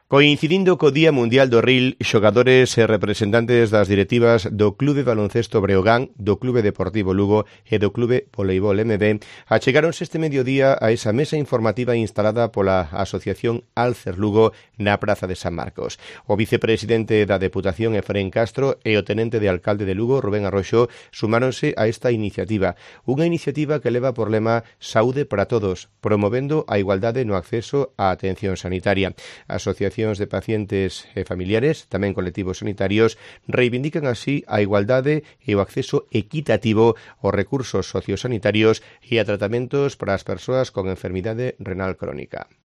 Coincidindo co Día Mundial do Ril, xogadores e representantes das directivas do Clube Baloncesto Breogán, do Clube Deportivo Lugo e do Clube Voleibol MB achegáronse este mediodía a esa mesa informativa instalada pola Asociación Alcer Lugo na Praza de San Marcos. O vicepresidente da Deputación, Efrén Castro, e o tenente de alcalde de Lugo, Rubén Arroxo, sumáronse a esta iniciativa. Unha iniciativa que leva por lema Saúde para Todos, promovendo a igualdade no acceso á atención sanitaria. A Asociación de pacientes e familiares, tamén colectivos sanitarios, reivindican así a igualdade e o acceso equitativo aos recursos sociosanitarios e a tratamentos para as persoas con enfermidade renal crónica.